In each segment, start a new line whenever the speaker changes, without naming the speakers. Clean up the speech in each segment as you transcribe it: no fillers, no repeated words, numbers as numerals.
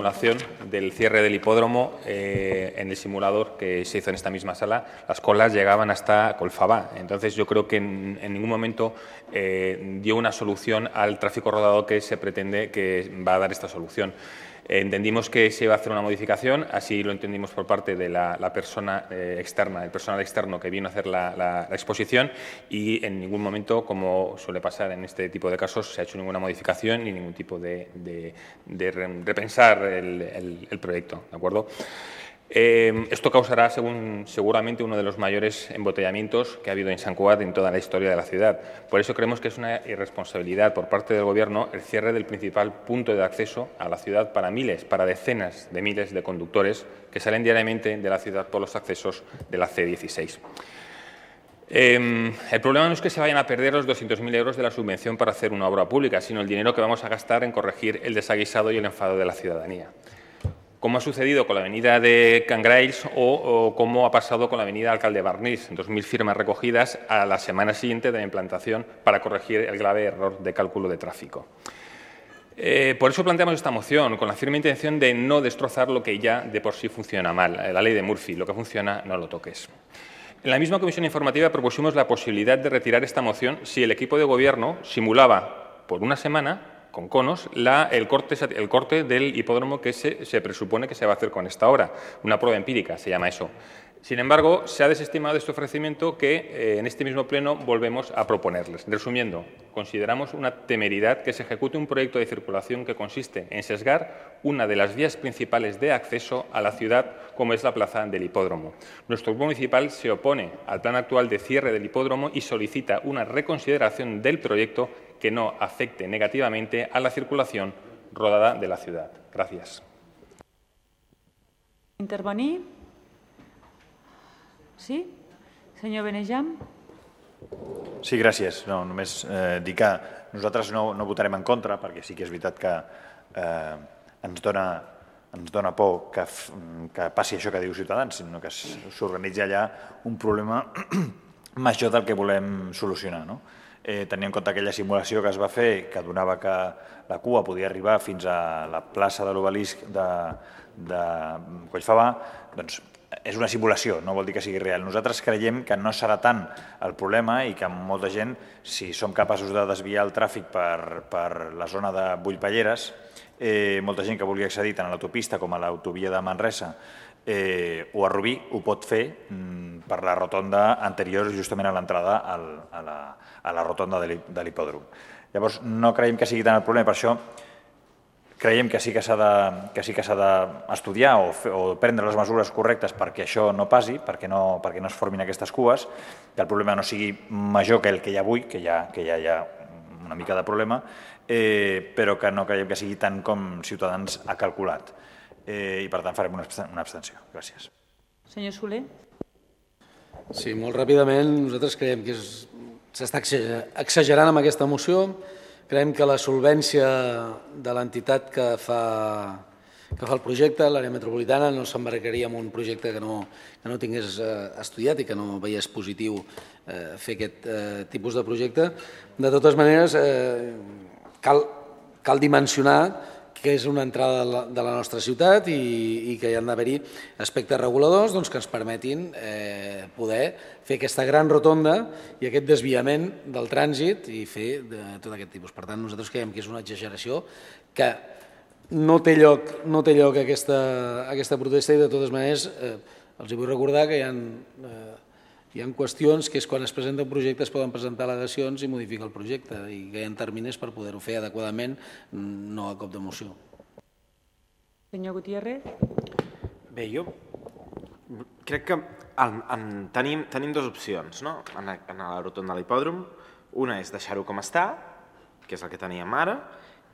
Simulación del cierre del hipódromo en el simulador que se hizo en esta misma sala, las colas llegaban hasta Colfabá. Entonces yo creo que en ningún momento dio una solución al tráfico rodado que se pretende que va a dar esta solución. Entendimos que se iba a hacer una modificación, así lo entendimos por parte de la persona externa, el personal externo que vino a hacer la exposición, y en ningún momento, como suele pasar en este tipo de casos, se ha hecho ninguna modificación ni ningún tipo de repensar el proyecto, ¿de acuerdo? Esto causará, seguramente, uno de los mayores embotellamientos que ha habido en Sant Cugat en toda la historia de la ciudad. Por eso creemos que es una irresponsabilidad por parte del Gobierno el cierre del principal punto de acceso a la ciudad para decenas de miles de conductores que salen diariamente de la ciudad por los accesos de la C16. El problema no es que se vayan a perder los 200.000 euros de la subvención para hacer una obra pública, sino el dinero que vamos a gastar en corregir el desaguisado y el enfado de la ciudadanía, como ha sucedido con la avenida de Can Graells o como ha pasado con la avenida Alcalde Barnís, 2.000 firmas recogidas a la semana siguiente de la implantación para corregir el grave error de cálculo de tráfico. Por eso planteamos esta moción, con la firme intención de no destrozar lo que ya de por sí funciona mal, la ley de Murphy, lo que funciona no lo toques. En la misma comisión informativa propusimos la posibilidad de retirar esta moción si el equipo de Gobierno simulaba por una semana con conos el corte del hipódromo que se presupone que se va a hacer con esta obra. Una prueba empírica se llama eso. Sin embargo, se ha desestimado este ofrecimiento que en este mismo pleno volvemos a proponerles. Resumiendo, consideramos una temeridad que se ejecute un proyecto de circulación que consiste en sesgar una de las vías principales de acceso a la ciudad, como es la plaza del hipódromo. Nuestro grupo municipal se opone al plan actual de cierre del hipódromo y solicita una reconsideración del proyecto que no afecte negativamente a la circulación rodada de la ciudad. Gracias.
Intervenir? Sí? Senyor Benejam?
Sí, gràcies. No, només dir que nosaltres no votarem en contra, perquè sí que és veritat que ens dona por que passi això que diu Ciutadans, sinó que s'organitza allà un problema major del que volem solucionar, no? Tenint en compte aquella simulació que es va fer, que donava que la cua podia arribar fins a la plaça de l'Obelisc de Collfabà, doncs és una simulació, no vol dir que sigui real. Nosaltres creiem que no serà tant el problema i que molta gent, si som capaços de desviar el tràfic per la zona de Bullpalleres, molta gent que vulgui accedir tant a l'autopista com a l'autovia de Manresa o a Rubí ho pot fer per la rotonda anterior justament a l'entrada a la rotonda de l'hipòdrom. Llavors, no creiem que sigui tant el problema, per això creiem que sí que s'ha d'estudiar o prendre les mesures correctes perquè això no passi, perquè no es formin aquestes cues, que el problema no sigui major que el que hi ha avui, que ja hi ha una mica de problema, però que no creiem que sigui tant com Ciutadans ha calculat. I per tant farem una abstenció. Gràcies.
Senyor Soler?
Sí, molt ràpidament. Nosaltres creiem que s'està exagerant amb aquesta moció. Creiem que la solvència de l'entitat que fa el projecte, l'àrea metropolitana, no s'embarcaria en un projecte que no tingués estudiat i que no veiés positiu fer aquest tipus de projecte. De totes maneres, cal dimensionar que és una entrada de la nostra ciutat i que hi han d'haver-hi aspectes reguladors que ens permetin poder fer aquesta gran rotonda i aquest desviament del trànsit i fer tot aquest tipus. Per tant, nosaltres creiem que és una exageració que no té lloc aquesta protesta i de totes maneres els vull recordar que hi ha qüestions que és quan es presenta un projecte es poden presentar al·legacions i modificar el projecte i que hi ha terminis per poder-ho fer adequadament, no a cop de moció.
Senyor Gutiérrez?
Bé, jo crec que tenim dues opcions en la rotonda de l'hipòdrom. Una és deixar-ho com està, que és el que teníem ara,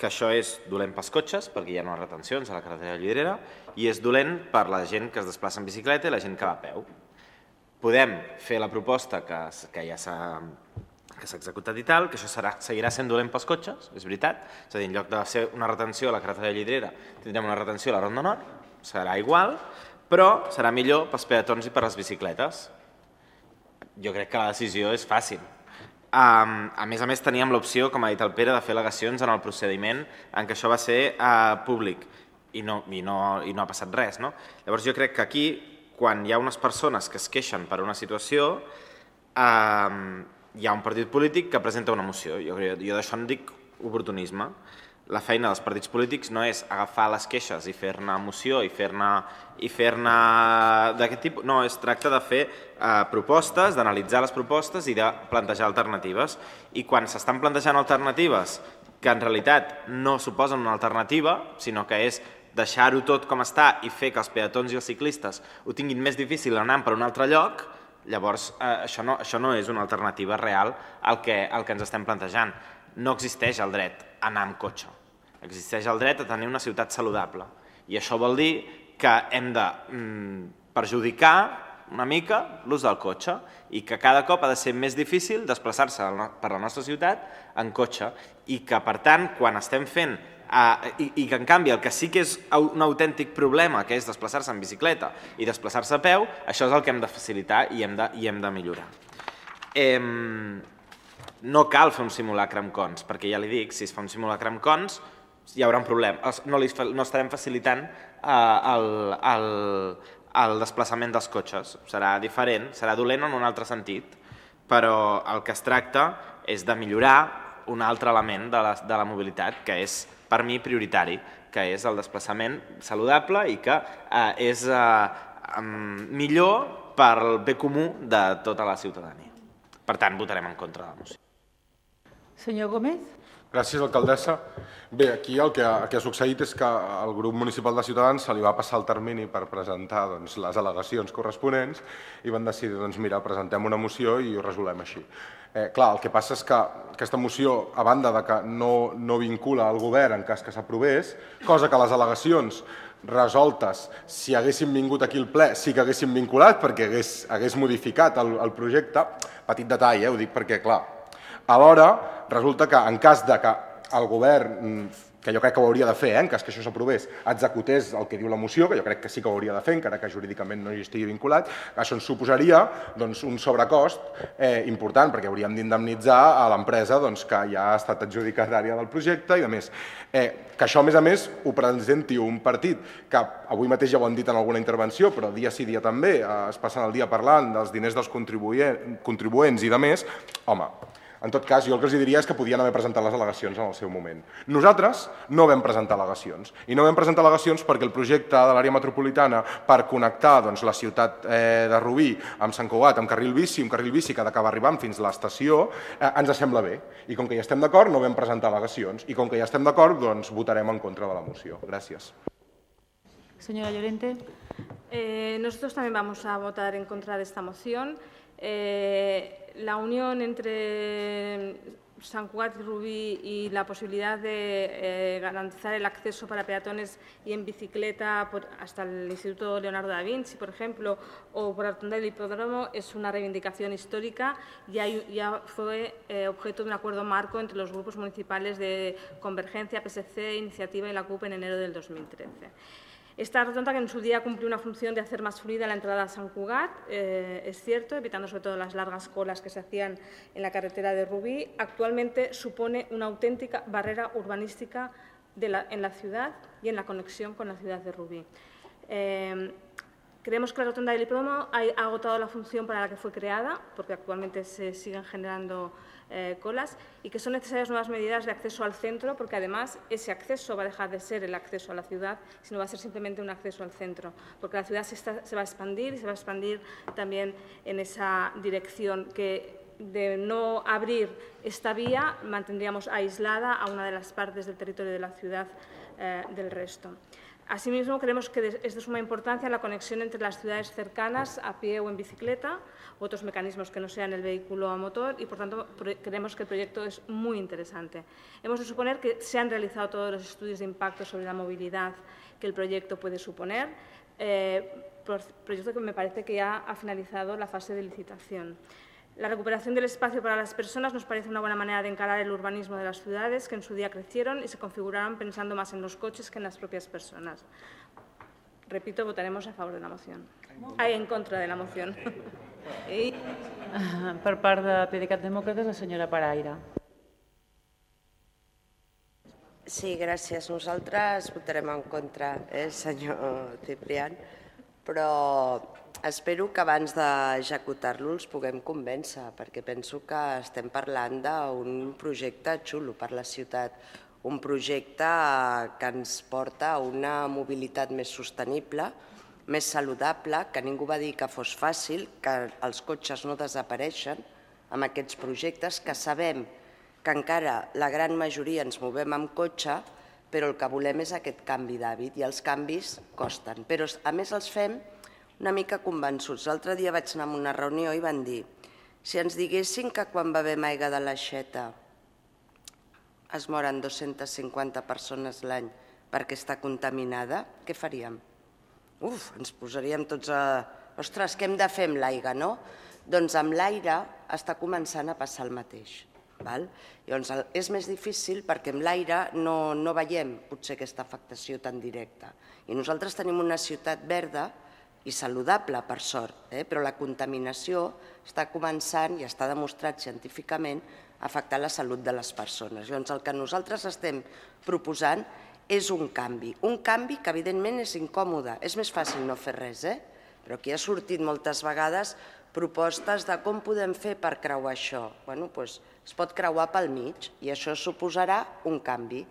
que això és dolent pels cotxes perquè hi ha unes retencions a la carretera de Llorera i és dolent per la gent que es desplaça en bicicleta i la gent que va a peu. Podem fer la proposta que ja s'ha executat i tal, que això seguirà sent dolent pels cotxes, és veritat. És a dir, en lloc de ser una retenció a la carretera de Llorera, tindrem una retenció a la Ronda Nord, serà igual, però serà millor pels peatons i per les bicicletes. Jo crec que la decisió és fàcil. A més, teníem l'opció, com ha dit el Pere, de fer al·legacions en el procediment en què això va ser públic. i no ha passat res. No? Llavors jo crec que aquí, quan hi ha unes persones que es queixen per una situació, hi ha un partit polític que presenta una moció. Jo d'això en dic oportunisme. La feina dels partits polítics no és agafar les queixes i fer-ne moció i fer-ne d'aquest tipus. No, es tracta de fer propostes, d'analitzar les propostes i de plantejar alternatives. I quan s'estan plantejant alternatives que en realitat no suposen una alternativa, sinó que és deixar-ho tot com està i fer que els peatons i els ciclistes ho tinguin més difícil anant per un altre lloc, llavors això no és una alternativa real al que ens estem plantejant. No existeix el dret a anar amb cotxe. Existeix el dret a tenir una ciutat saludable. I això vol dir que hem de perjudicar una mica l'ús del cotxe i que cada cop ha de ser més difícil desplaçar-se per la nostra ciutat en cotxe i que, per tant, quan estem fent i que, en canvi, el que sí que és un autèntic problema, que és desplaçar-se en bicicleta i desplaçar-se a peu, això és el que hem de facilitar i hem de millorar. No cal fer un simulacre amb cons, perquè ja li dic, si es fa un simulacre amb cons hi haurà un problema. No estarem facilitant el desplaçament dels cotxes. Serà diferent, serà dolent en un altre sentit, però el que es tracta és de millorar un altre element de la mobilitat, que és, per mi, prioritari, que és el desplaçament saludable i que és millor pel bé comú de tota la ciutadania. Per tant, votarem en contra de la moció.
Senyor Gómez.
Gràcies, alcaldessa. Bé, aquí el que ha succeït és que al grup municipal de Ciutadans se li va passar el termini per presentar les al·legacions corresponents i van decidir, mira, presentem una moció i ho resolem així. Clar, el que passa és que aquesta moció, a banda de que no vincula el govern en cas que s'aprovés, cosa que les al·legacions resoltes, si haguessin vingut aquí al ple, sí que haguessin vinculat perquè hagués modificat el projecte. Petit detall, ho dic perquè, clar, alhora resulta que en cas de que el govern, que jo crec que ho hauria de fer, en cas que això s'aprovés, executés el que diu la moció, que jo crec que sí que ho hauria de fer, encara que jurídicament no hi estigui vinculat, això ens suposaria un sobrecost important, perquè hauríem d'indemnitzar a l'empresa que ja ha estat adjudicatària del projecte i a més. Que això, a més, ho presenti un partit que avui mateix ja ho han dit en alguna intervenció, però dia sí dia també es passen el dia parlant dels diners dels contribuents i de més, home, en tot cas, jo el que els diria és que podien haver presentat les al·legacions en el seu moment. Nosaltres no vam presentar al·legacions. I no vam presentar al·legacions perquè el projecte de l'àrea metropolitana per connectar la ciutat de Rubí amb Sant Cugat, amb carril bici, un carril bici que ha d'acabar arribant fins a l'estació, ens sembla bé. I com que ja estem d'acord, no vam presentar al·legacions. I com que ja estem d'acord, doncs votarem en contra de la moció. Gràcies.
Señora Llorente.
Nosotros también vamos a votar en contra de esta moción. La unión entre Sant Cugat y Rubí y la posibilidad de garantizar el acceso para peatones y en bicicleta hasta el Instituto Leonardo da Vinci, por ejemplo, o por la rotonda del hipódromo es una reivindicación histórica y ya fue objeto de un acuerdo marco entre los grupos municipales de Convergencia, PSC, Iniciativa y la CUP en enero del 2013. Esta rotonda, que en su día cumplió una función de hacer más fluida la entrada a Sant Cugat, es cierto, evitando sobre todo las largas colas que se hacían en la carretera de Rubí, actualmente supone una auténtica barrera urbanística en la ciudad y en la conexión con la ciudad de Rubí. Creemos que la rotonda del hipódromo ha agotado la función para la que fue creada, porque actualmente se siguen generando colas, y que son necesarias nuevas medidas de acceso al centro, porque además ese acceso va a dejar de ser el acceso a la ciudad, sino va a ser simplemente un acceso al centro, porque la ciudad se va a expandir y se va a expandir también en esa dirección que, de no abrir esta vía, mantendríamos aislada a una de las partes del territorio de la ciudad del resto. Asimismo, creemos que es de suma importancia la conexión entre las ciudades cercanas a pie o en bicicleta, otros mecanismos que no sean el vehículo a motor, y por tanto creemos que el proyecto es muy interesante. Hemos de suponer que se han realizado todos los estudios de impacto sobre la movilidad que el proyecto puede suponer, proyecto que me parece que ya ha finalizado la fase de licitación. La recuperación del espacio para las personas nos parece una buena manera de encarar el urbanismo de las ciudades que en su día crecieron y se configuraron pensando más en los coches que en las propias personas. Repito, votaremos a favor de la moción. En contra de la moción.
Per part de PDeCAT Demòcrates, la senyora Paraire.
Sí, gràcies. Nosaltres votarem en contra, senyor Ciprián, però espero que abans d'executar-lo els puguem convèncer, perquè penso que estem parlant d'un projecte xulo per la ciutat, un projecte que ens porta a una mobilitat més sostenible, més saludable, que ningú va dir que fos fàcil, que els cotxes no desapareixen amb aquests projectes, que sabem que encara la gran majoria ens movem amb cotxe, però el que volem és aquest canvi d'hàbit i els canvis costen. Però a més els fem una mica convençuts. L'altre dia vaig anar a una reunió i van dir si ens diguessin que quan bevem aigua de l'aixeta es moren 250 persones l'any perquè està contaminada, què faríem? Ens posaríem tots a... Ostres, què hem de fer amb l'aigua, no? Doncs amb l'aire està començant a passar el mateix. Llavors, és més difícil perquè amb l'aire no veiem potser aquesta afectació tan directa. I nosaltres tenim una ciutat verda i saludable, per sort, però la contaminació està començant, i està demostrat científicament, a afectar la salut de les persones. Llavors, el que nosaltres estem proposant és un canvi que evidentment és incòmode. És més fàcil no fer res, però aquí ha sortit moltes vegades propostes de com podem fer per creuar això. Doncs es pot creuar pel mig i això suposarà un canvi.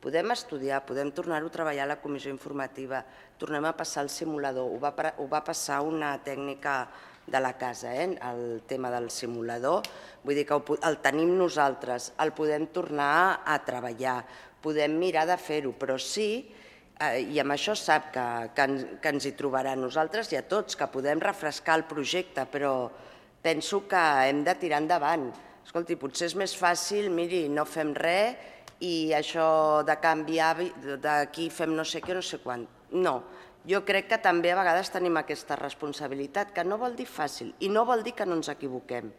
Podem estudiar, podem tornar-ho a treballar a la comissió informativa, tornem a passar el simulador, ho va passar una tècnica de la casa, el tema del simulador, vull dir que el tenim nosaltres, el podem tornar a treballar, podem mirar de fer-ho, però sí, i amb això sap que ens hi trobarà a nosaltres i a tots, que podem refrescar el projecte, però penso que hem de tirar endavant. Escolti, potser és més fàcil, miri, no fem res i això de canviar, d'aquí fem no sé què, no sé quant. No, jo crec que també a vegades tenim aquesta responsabilitat, que no vol dir fàcil i no vol dir que no ens equivoquem,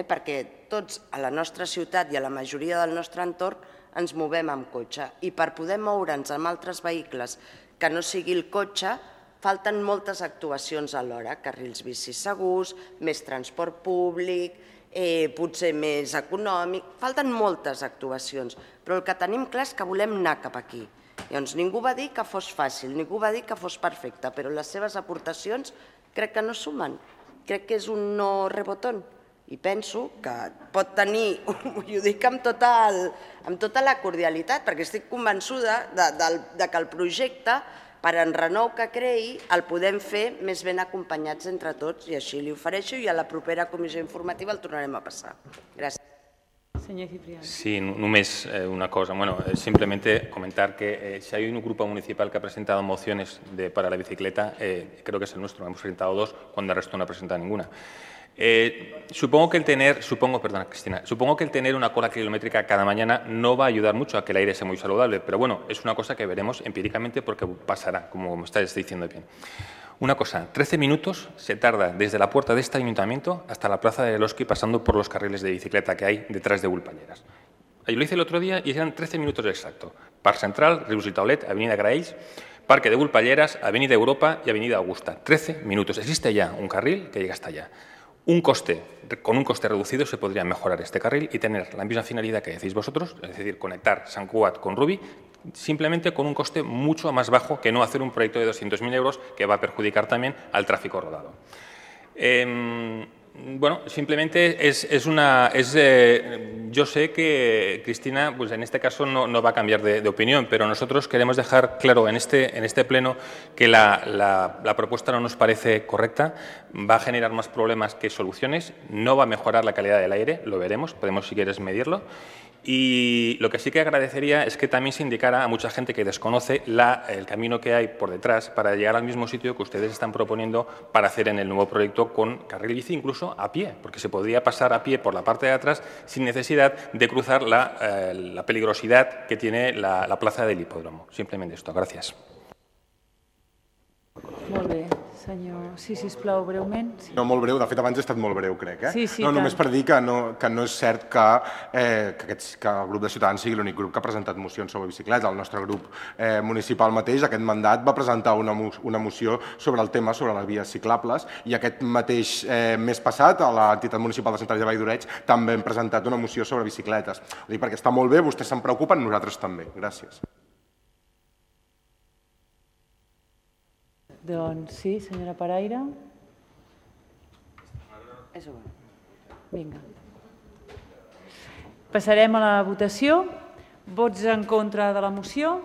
perquè tots a la nostra ciutat i a la majoria del nostre entorn ens movem amb cotxe i per poder moure'ns amb altres vehicles que no sigui el cotxe falten moltes actuacions alhora, carrils bicis segurs, més transport públic, potser més econòmic, falten moltes actuacions, però el que tenim clar és que volem anar cap aquí. Llavors, ningú va dir que fos fàcil, ningú va dir que fos perfecte, però les seves aportacions crec que no sumen, crec que és un no rebotón i penso que pot tenir, i ho dic amb tota la cordialitat, perquè estic convençuda que el projecte, per enrenou que creï, el podem fer més ben acompanyats entre tots i així li ofereixo i a la propera comissió informativa el tornarem a passar. Gràcies.
Señor Ciprián.
Sí, només una cosa. Bueno, simplemente comentar que si hay un grupo municipal que ha presentado mociones para la bicicleta, creo que es el nuestro. Hemos presentado 2 cuando el resto no ha presentado ninguna. Supongo que el tener una cola kilométrica cada mañana no va a ayudar mucho a que el aire sea muy saludable, pero bueno, es una cosa que veremos empíricamente porque pasará, como me estáis diciendo bien. Una cosa, 13 minutos se tarda desde la puerta de este ayuntamiento hasta la plaza de Eloski pasando por los carriles de bicicleta que hay detrás de Vulpalleras. Yo lo hice el otro día y eran 13 minutos exactos. Parc Central, Rius i Taulet, Avenida Graells, Parque de Vulpalleras, Avenida Europa y Avenida Augusta. 13 minutos. Existe ya un carril que llega hasta allá. Con un coste reducido se podría mejorar este carril y tener la misma finalidad que decís vosotros, es decir, conectar Sant Cugat con Rubí, simplemente con un coste mucho más bajo que no hacer un proyecto de 200.000 euros que va a perjudicar también al tráfico rodado. Bueno, simplemente yo sé que Cristina, pues en este caso no va a cambiar de opinión, pero nosotros queremos dejar claro en este pleno que la propuesta no nos parece correcta, va a generar más problemas que soluciones, no va a mejorar la calidad del aire, lo veremos, podemos si quieres medirlo. Y lo que sí que agradecería es que también se indicara a mucha gente que desconoce el camino que hay por detrás para llegar al mismo sitio que ustedes están proponiendo para hacer en el nuevo proyecto con carril bici, incluso a pie, porque se podría pasar a pie por la parte de atrás sin necesidad de cruzar la peligrosidad que tiene la plaza del hipódromo. Simplemente esto. Gracias.
Molt bé. Senyor, sí, sisplau, breument. Sí.
No, molt breu. De fet, abans he estat molt breu, crec.
Sí, sí,
no, només
tant.
per dir que no és cert que el grup de Ciutadans sigui l'únic grup que ha presentat mocions sobre bicicleta. El nostre grup municipal mateix, aquest mandat, va presentar una moció sobre el tema, sobre les vies ciclables, i aquest mateix mes passat, a l'entitat municipal de Sant Andreu de Vall d'Oreig, també hem presentat una moció sobre bicicletes. Ho dic perquè està molt bé, vostès se'n preocupen, nosaltres també. Gràcies.
Doncs sí, senyora Paraire. Vinga. Passarem a la votació. Vots en contra de la moció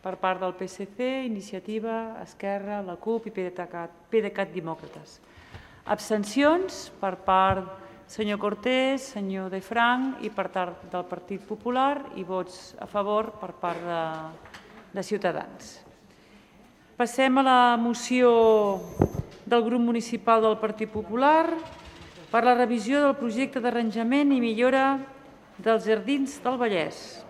per part del PSC, Iniciativa, Esquerra, la CUP i PDeCAT Demòcrates. Abstencions per part senyor Cortés, senyor De Frank i per part del Partit Popular i vots a favor per part de Ciutadans. Passem a la moció del grup municipal del Partit Popular per la revisió del projecte d'arranjament i millora dels Jardins del Vallès.